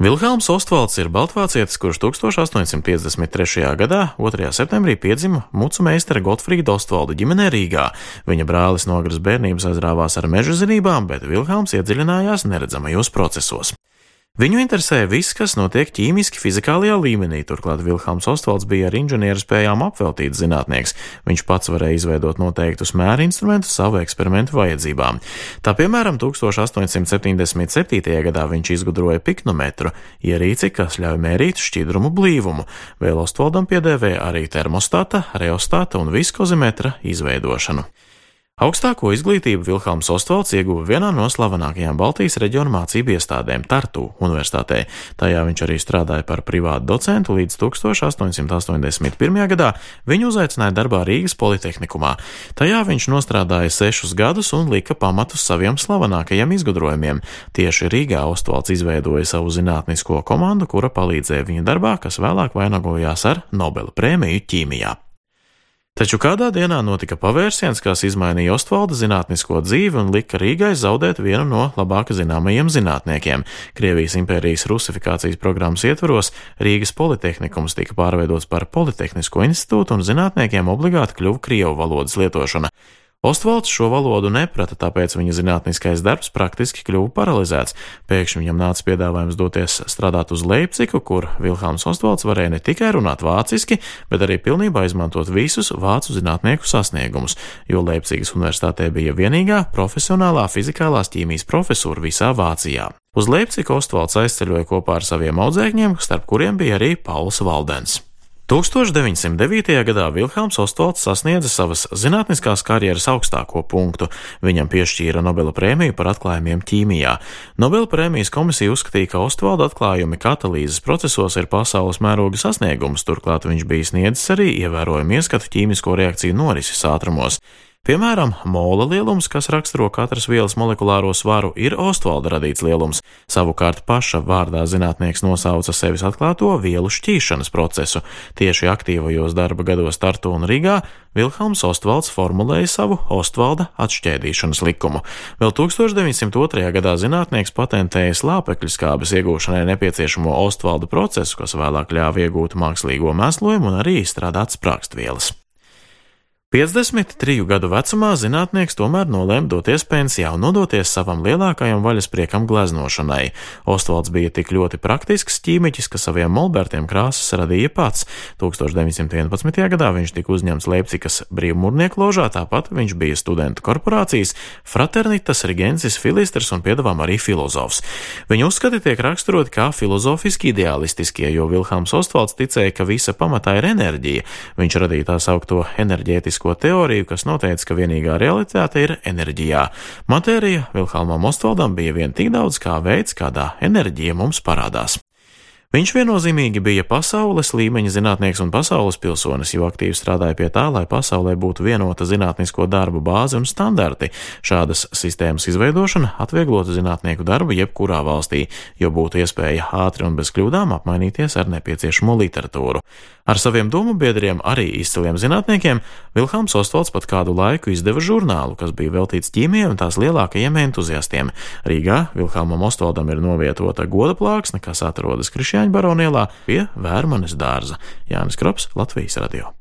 Vilhelms Ostvalds ir baltvācietis, kurš 1853. gadā, 2. septembrī, piedzima mucu meistara Gotfrīda Ostvalda ģimenē Rīgā. Viņa brālis no agras bērnības aizrāvās ar meža zinībām, bet Vilhelms iedziļinājās neredzamajos procesos. Viņu interesēja viss, kas notiek ķīmiski fizikālajā līmenī, turklāt Vilhelms Ostvalds bija ar inženieru spējām apveltīts zinātnieks. Viņš pats varēja izveidot noteiktus mēra instrumentus savu eksperimentu vajadzībām. Tā piemēram, 1877. gadā viņš izgudroja piknometru, ierīci, kas ļauj mērīt šķidrumu blīvumu. Vēl Ostvaldam piedēvēja arī termostata, reostata un viskozimetra izveidošanu. Augstāko izglītību Vilhelms Ostvalds ieguva vienā no slavenākajām Baltijas reģiona mācību iestādēm Tartu universitātē. Tajā viņš arī strādāja par privātu docentu līdz 1881. gadā viņu uzaicināja darbā Rīgas Politehnikumā. Tajā viņš nostrādāja 6 gadus un lika pamatus saviem slavenākajiem izgudrojumiem. Tieši Rīgā Ostvalds izveidoja savu zinātnisko komandu, kura palīdzēja viņa darbā, kas vēlāk vainagojās ar Nobela prēmiju ķīmijā. Taču kādā dienā notika pavērsiens, kas izmainīja Ostvalda zinātnisko dzīvi un lika Rīgai zaudēt vienu no labāk zināmajiem zinātniekiem. Krievijas impērijas rusifikācijas programmas ietvaros Rīgas Politehnikums tika pārveidots par Politehnisko institūtu un zinātniekiem obligāti kļuva krievu valodas lietošana. Ostvalds šo valodu neprata, tāpēc viņa zinātniskais darbs praktiski kļuva paralizēts. Pēkšņi viņam nāca piedāvājums doties strādāt uz Leipcigu, kur Vilhelms Ostvalds varēja ne tikai runāt vāciski, bet arī pilnībā izmantot visus vācu zinātnieku sasniegumus, jo Leipcigas universitātē bija vienīgā profesionālā fizikālās ķīmijas profesūra visā Vācijā. Uz Leipcigu Ostvalds aizceļoja kopā ar saviem audzēkņiem, starp kuriem bija arī Pauls Valdens. 1909. gadā Vilhelms Ostvalds sasniedza savas zinātniskās karjeras augstāko punktu. Viņam piešķīra Nobela prēmiju par atklājumiem ķīmijā. Nobela prēmijas komisija uzskatīja, ka Ostvalda atklājumi katalīzes procesos ir pasaules mēroga sasniegums, turklāt viņš bija sniedzis arī ievērojumu ieskatu ķīmisko reakciju norises ātrumos. Piemēram, mola lielums, kas raksturo katras vielas molekulāro svaru, ir Ostvalda radīts lielums. Savukārt paša vārdā zinātnieks nosauca sevis atklāto vielu šķīšanas procesu. Tieši aktīvajos darba gados Tartu un Rīgā Vilhelms Ostvalds formulēja savu Ostvalda atšķēdīšanas likumu. Vēl 1902. gadā zinātnieks patentēja slāpekļu skābes iegūšanai nepieciešamo Ostvalda procesu, kas vēlāk ļāva iegūt mākslīgo mēslojumu un arī izstrādāt sprāgstvielas. 53 gadu vecumā zinātnieks tomēr nolēma doties pensijā un nodoties savam lielākajam vaļaspriekam gleznošanai. Ostvalds bija tik ļoti praktisks ķīmiķis, ka saviem molbertiem krāsas radīja pats. 1911. gadā viņš tika uzņemts Leipcigas brīvmūrnieku ložā, tāpat viņš bija studentu korporācijas Fraternitas Rigensis Filistrs un piedāvām arī filozofs. Viņa uzskati tiek raksturoti kā filozofiski ideālistiskie, jo Vilhelms Ostvalds ticēja, ka visa pamatā ir enerģija. Viņš radīja tā saukto enerģētisko teoriju, kas noteica, ka vienīgā realitāte ir enerģijā. Matērija Vilhelmam Ostvaldam bija vien tik daudz kā veids, kādā enerģija mums parādās. Viņš viennozīmīgi bija pasaules līmeņa zinātnieks un pasaules pilsonis, jo aktīvi strādāja pie tā, lai pasaulē būtu vienota zinātnisko darbu bāze un standarti. Šādas sistēmas izveidošana atvieglotu zinātnieku darbu jebkurā valstī, jo būtu iespēja ātri un bez kļūdām apmainīties ar nepieciešamo literatūru. Ar saviem domu biedriem, arī izciliem zinātniekiem, Vilhelms Ostvalds pat kādu laiku izdeva žurnālu, kas bija veltīts ķīmijai un tās lielākajiem entuziastiem. Rīgā Vilhelmam Ostvaldam ir novietota goda plāksne, kas atrodas Krišjāņu baronielā pie Vērmanes dārza. Jānis Krops, Latvijas radio.